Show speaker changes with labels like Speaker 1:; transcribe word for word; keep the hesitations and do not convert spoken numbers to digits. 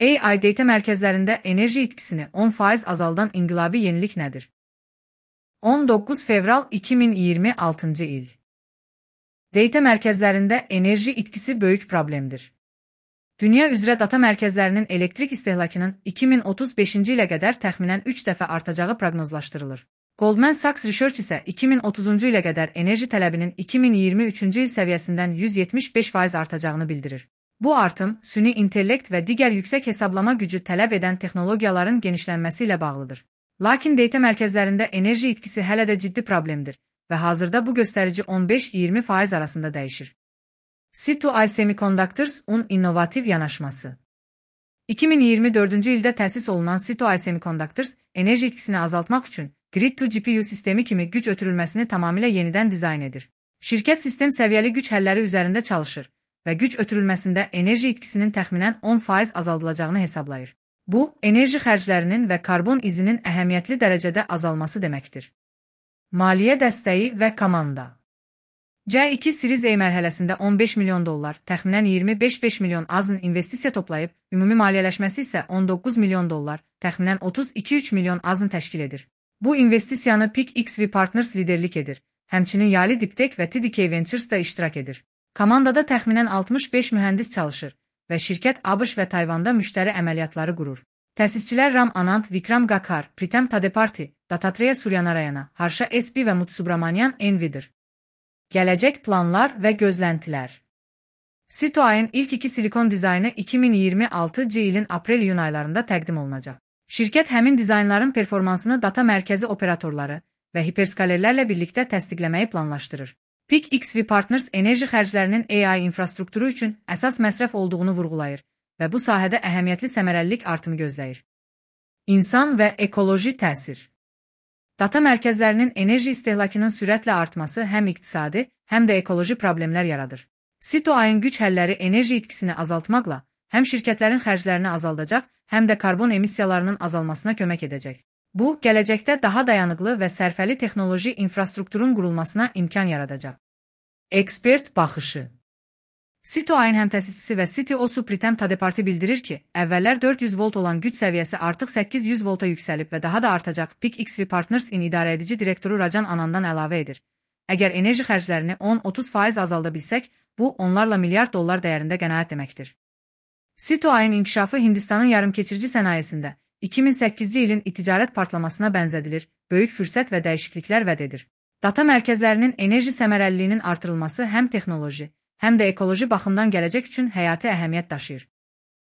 Speaker 1: A I data mərkəzlərində enerji itkisini on faiz azaldan inqilabi yenilik nədir? on doqquz fevral iki min iyirmi altıncı il. Data mərkəzlərində enerji itkisi böyük problemdir. Dünya üzrə data mərkəzlərinin elektrik istehlakının iki min otuz beşinci ilə qədər təxminən üç dəfə artacağı proqnozlaşdırılır. Goldman Sachs Research isə iki min otuzuncu ilə qədər enerji tələbinin iki min iyirmi üçüncü il səviyyəsindən yüz yetmiş beş faiz artacağını bildirir. Bu artım, süni intellekt və digər yüksək hesablama gücü tələb edən texnologiyaların genişlənməsi ilə bağlıdır. Lakin data mərkəzlərində enerji itkisi hələ də ciddi problemdir və hazırda bu göstərici on beş iyirmi faiz arasında dəyişir. C iki I Semiconductors-un innovativ yanaşması. iki min iyirmi dördüncü ildə təsis olunan C iki I Semiconductors, enerji itkisini azaltmaq üçün Grid-to-G P U sistemi kimi güc ötürülməsini tamamilə yenidən dizayn edir. Şirkət sistem səviyyəli güc həlləri üzərində çalışır və güc ötürülməsində enerji itkisinin təxminən on faiz azaldılacağını hesablayır. Bu, enerji xərclərinin və karbon izinin əhəmiyyətli dərəcədə azalması deməkdir. Maliyyə dəstəyi və komanda. C iki Series A mərhələsində on beş milyon dollar, təxminən iyirmi beş beş milyon azın investisiya toplayıb, ümumi maliyyələşməsi isə on doqquz milyon dollar, təxminən otuz iki üç milyon azın təşkil edir. Bu investisiyanı Peak X V Partners liderlik edir, həmçinin Yali Diptech və T D K Ventures da iştirak edir. Komandada təxminən altmış beş mühəndis çalışır və şirkət ABŞ və Tayvanda müştəri əməliyyatları qurur. Təsisçilər Ram Anand, Vikram Gakar, Pritam Tadeparti, Dattatreya Suryanarayana, Harsha S B və Mutsubramanian Envidir. Gələcək planlar və gözləntilər. C iki I'ın ilk iki silikon dizaynı iki min iyirmi altıncı ilin aprel-iyun aylarında təqdim olunacaq. Şirkət həmin dizaynların performansını data mərkəzi operatorları və hiperskalerlərlə birlikdə təsdiqləməyi planlaşdırır. Peak X V Partners enerji xərclərinin A I infrastrukturu üçün əsas məsrəf olduğunu vurğulayır və bu sahədə əhəmiyyətli səmərəlilik artımı gözləyir. İnsan və ekoloji təsir. Data mərkəzlərinin enerji istehlakının sürətlə artması həm iqtisadi, həm də ekoloji problemlər yaradır. C iki I'ın güc həlləri enerji itkisini azaltmaqla həm şirkətlərin xərclərini azaldacaq, həm də karbon emissiyalarının azalmasına kömək edəcək. Bu, gələcəkdə daha dayanıqlı və sərfəli texnoloji infrastrukturun qurulmasına imkan yaradacaq. Ekspert baxışı. C iki I'ın həmtəsisçisi və C T O su Pritam Tadeparti bildirir ki, əvvəllər dörd yüz volt olan güc səviyyəsi artıq səkkiz yüz volta yüksəlib və daha da artacaq. Peak X V Partners-in idarəedici direktoru Rajan Anandan əlavə edir. Əgər enerji xərclərini on otuz faiz azalda bilsək, bu onlarla milyard dollar dəyərində qənaət deməkdir. C iki I'ın inkişafı Hindistanın yarımkeçirici sənayesində iki min səkkizci ilin ticarət partlamasına bənzədilir, böyük fürsət və dəyişikliklər vəd edir. Data mərkəzlərinin enerji səmərəliliyinin artırılması həm texnoloji, həm də ekoloji baxımdan gələcək üçün həyati əhəmiyyət daşıyır.